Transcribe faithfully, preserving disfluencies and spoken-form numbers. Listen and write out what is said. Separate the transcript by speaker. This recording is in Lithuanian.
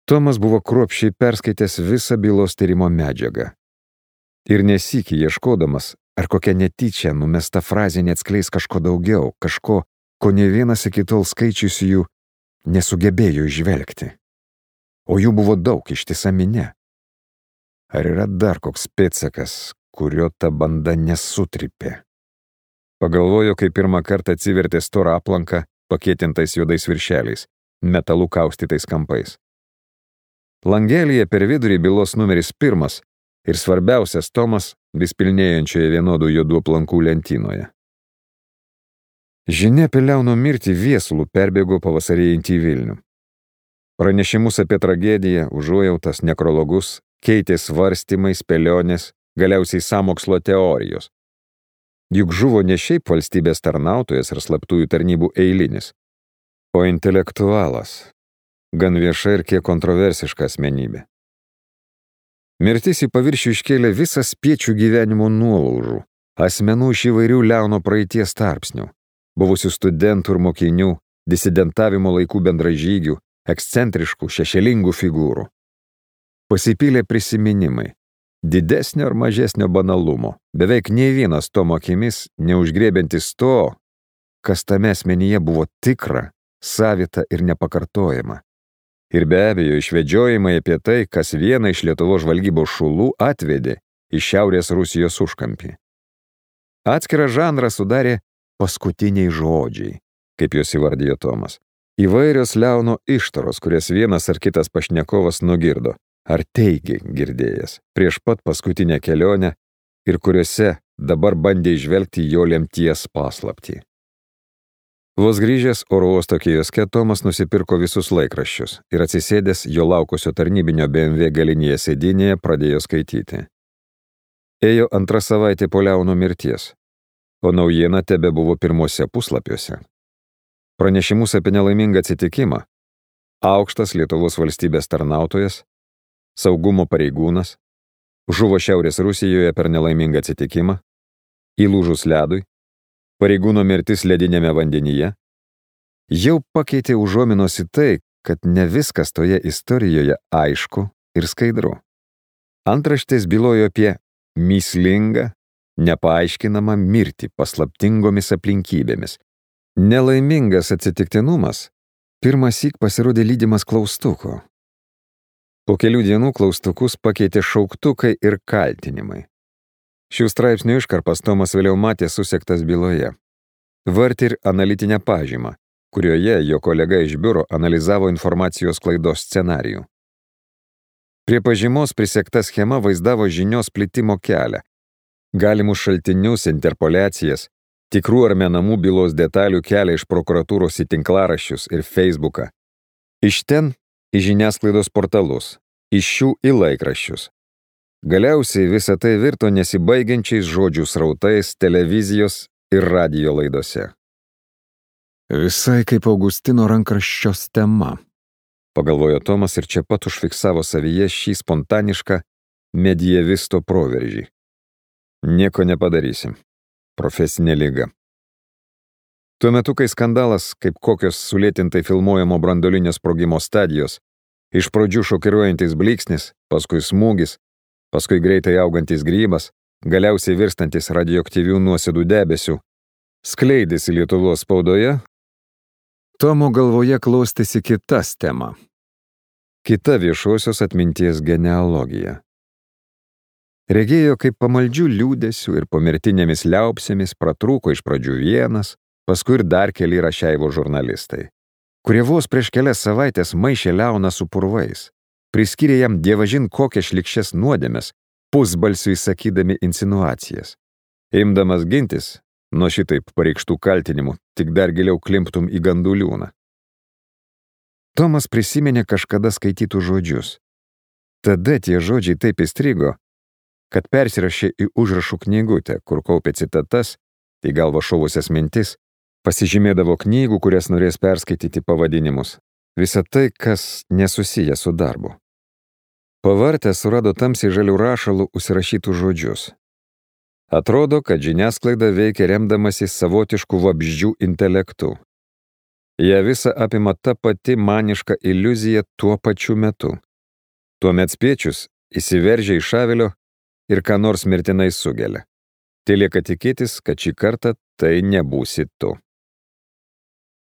Speaker 1: Tomas buvo kruopščiai perskaitęs visą bylos tyrimo medžiagą. Ir nesykį ieškodamas, ar kokia netyčia numesta frazė neatskleis kažko daugiau, kažko, ko ne vienas iki tol skaičiusių nesugebėjo išvelgti. O jų buvo daug, ištisa minia. Ar yra dar koks pėdsakas, kurio ta banda nesutripė? Pagalvojo, kai pirmą kartą atsivertė storą aplanką, pakėtintais juodais viršeliais, metalų kaustytais kampais. Langelyje per vidurį bylos numeris pirmas ir svarbiausias tomas vis pilnėjančioje vienodų juodų aplankų lentynoje. Žinia apie Leono mirtį viesulų perbėgo pavasarėjantį į Vilnių. Pranešimus apie tragediją, užuojautas, nekrologus keitė svarstymai, spėlionės, galiausiai sąmokslo teorijos. Juk žuvo ne šiaip valstybės tarnautojas ar slaptųjų tarnybų eilinis, o intelektualas, gan vieša ir kiek kontroversiška asmenybė. Mirtis į paviršių iškėlė visą spiečių gyvenimo nuolaužų, asmenų iš įvairių Leono praeities tarpsnių, buvusių studentų ir mokinių, disidentavimo laikų bendražygių, ekscentriškų, šešėlingų figūrų. Pasipylė prisiminimai, didesnio ar mažesnio banalumo, beveik nei vienas Tomo akimis neužgriebiantis to, kas tame asmenyje buvo tikra, savita ir nepakartojama. Ir be abejo išvedžiojimai apie tai, kas vieną iš Lietuvos žvalgybos šulų atvedė į Šiaurės Rusijos užkampį. Atskirą žanrą sudarė paskutiniai žodžiai, kaip jos įvardijo Tomas. Įvairios Leono ištaros, kurias vienas ar kitas pašnekovas nugirdo, ar teigė girdėjęs, prieš pat paskutinę kelionę ir kuriuose dabar bandė įžvelgti jo lemties paslaptį. Vos grįžęs oro uosto kioske, Tomas nusipirko visus laikraščius ir atsisėdęs jo laukusio tarnybinio B M W galinėje sėdynėje pradėjo skaityti. Ėjo antrą savaitę po Leono mirties, o naujiena tebe buvo pirmuose puslapiuose. Pranešimus apie nelaimingą atsitikimą, aukštas Lietuvos valstybės tarnautojas, saugumo pareigūnas, žuvo Šiaurės Rusijoje per nelaimingą atsitikimą, įlūžus ledui, pareigūno mirtis ledinėme vandenyje, jau pakeitė užuominos į tai, kad ne viskas toje istorijoje aišku ir skaidru. Antraštės bylojo apie mįslingą, nepaaiškinamą mirtį paslaptingomis aplinkybėmis. Nelaimingas atsitiktinumas pirmąsyk pasirodė lydimas klaustuko. Po kelių dienų klaustukus pakeitė šauktukai ir kaltinimai. Šių straipsnių iškarpas Tomas vėliau matė susektas byloje. Vartė ir analitinę pažymą, kurioje jo kolega iš biuro analizavo informacijos klaidos scenarijų. Prie pažymos prisekta schema vaizdavo žinios plitimo kelią, galimus šaltinius, interpoliacijas, tikrų ar menamų bylos detalių kelią iš prokuratūros į tinklaraščius ir Facebooką. Iš ten į žiniasklaidos portalus, iš šių į laikraščius. Galiausiai visa tai virto nesibaigiančiais žodžių srautais televizijos ir radijo laidose. Visai kaip Augustino rankraščios tema, pagalvojo Tomas ir čia pat užfiksavo savyje šį spontanišką medievisto proveržį. Nieko nepadarysim. Profesinė liga. Tuo metu, kai skandalas, kaip kokios sulėtintai filmuojamo branduolinio sprogimo stadijos, iš pradžių šokiruojantis blyksnis, paskui smūgis, paskui greitai augantis grybas, galiausiai virstantis radioaktyvių nuosėdų debesių, skleidėsi Lietuvos spaudoje, Tomo galvoje klostėsi kitas tema. Kita viešosios atminties genealogija. Regėjo, kaip pamaldžių liūdesių ir pomirtinėmis liaupsėmis pratrūko iš pradžių vienas, paskui ir dar keli Rašeivo žurnalistai, kurie vos prieš kelias savaitės maišė Leoną su purvais, priskyrė jam dievažin kokias šlikščias nuodėmes, pusbalsiui sakydami insinuacijas. Imdamas gintis, nuo šitaip pareikštų kaltinimų, tik dar giliau klimptum į gandų liūną. Tomas prisiminė kažkada skaitytų žodžius. Tada tie žodžiai taip įstrigo, kad persirašė į užrašų knygutę, kur kaupė citatas, į galvą šovusias mintis, pasižymėdavo knygų, kurias norės perskaityti pavadinimus. Visa tai, kas nesusiję su darbu. Pavartę surado tamsiai žalių rašalų užsirašytų žodžius. Atrodo, kad žiniasklaida veikia remdamasi savotiškų vabzdžių intelektu. ją visą apima ta pati maniška iliuzija tuo pačiu metu. Tuomet spiečius įsiveržia iš avilio ir ką nors mirtinai sugelia. Telieka tikėtis, kad šį kartą tai nebūsi tu.